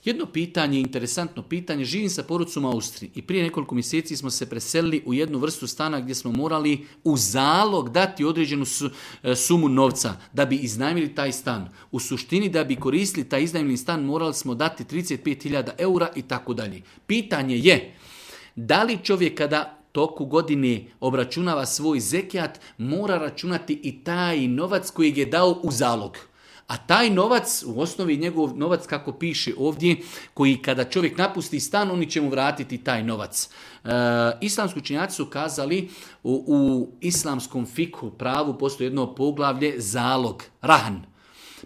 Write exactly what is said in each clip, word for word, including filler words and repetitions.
Jedno pitanje, interesantno pitanje, živim sa porodicom u Austriji i prije nekoliko mjeseci smo se preselili u jednu vrstu stana gdje smo morali u zalog dati određenu sumu novca da bi iznajmili taj stan. U suštini da bi koristili taj iznajmljeni stan morali smo dati trideset pet hiljada eura i tako dalje. Pitanje je, da li čovjek kada toku godine obračunava svoj zekijat mora računati i taj novac kojeg je dao u zalog? A taj novac, u osnovi njegov novac kako piše ovdje, koji kada čovjek napusti stan, oni će mu vratiti taj novac. E, islamski učenjaci su kazali u, u islamskom fikhu pravu postoji jedno poglavlje zalog, rahan.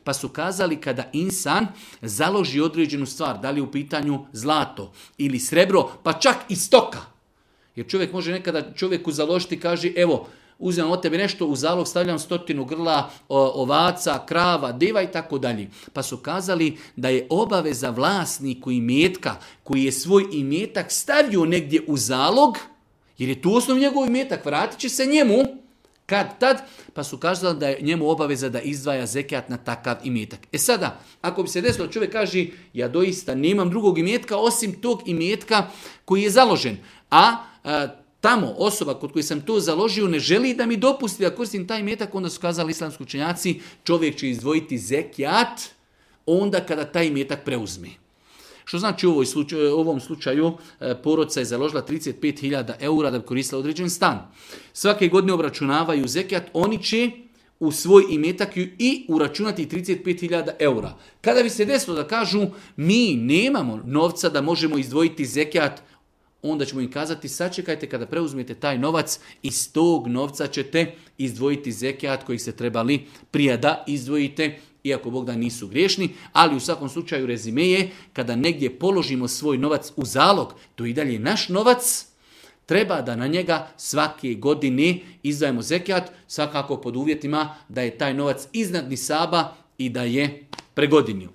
Pa su kazali kada insan založi određenu stvar, da li je u pitanju zlato ili srebro, pa čak i stoka. Jer čovjek može nekada čovjeku založiti i kaže, evo, uzmem od tebe nešto, u zalog stavljam stotinu grla ovaca, krava, deva i tako dalje. Pa su kazali da je obaveza vlasniku imetka koji je svoj imetak stavio negdje u zalog, jer je tu osnov njegov imetak, vratit će se njemu kad tad, pa su kazali da je njemu obaveza da izdvaja zekijat na takav imetak. E sada, ako bi se desilo, čovjek kaže, ja doista nemam drugog imetka osim tog imetka koji je založen, a, a tamo osoba kod koje sam to založio ne želi da mi dopusti da koristim taj imetak, onda su kazali islamski učenjaci, čovjek će izdvojiti zekijat onda kada taj imetak preuzme. Što znači u ovom slučaju porodica je založila trideset pet hiljada eura da bi koristila određen stan. Svake godine obračunavaju zekijat, oni će u svoj imetak i uračunati trideset pet hiljada eura. Kada bi se desilo da kažu mi nemamo novca da možemo izdvojiti zekijat, onda ćemo im kazati sačekajte kada preuzmete taj novac, iz tog novca ćete izdvojiti zekijat kojih se trebali prije da izdvojite, iako Bog da nisu griješni, ali u svakom slučaju rezime je, kada negdje položimo svoj novac u zalog, to i dalje naš novac, treba da na njega svake godine izdvajamo zekijat, svakako pod uvjetima da je taj novac iznad nisaba i da je pregodinio.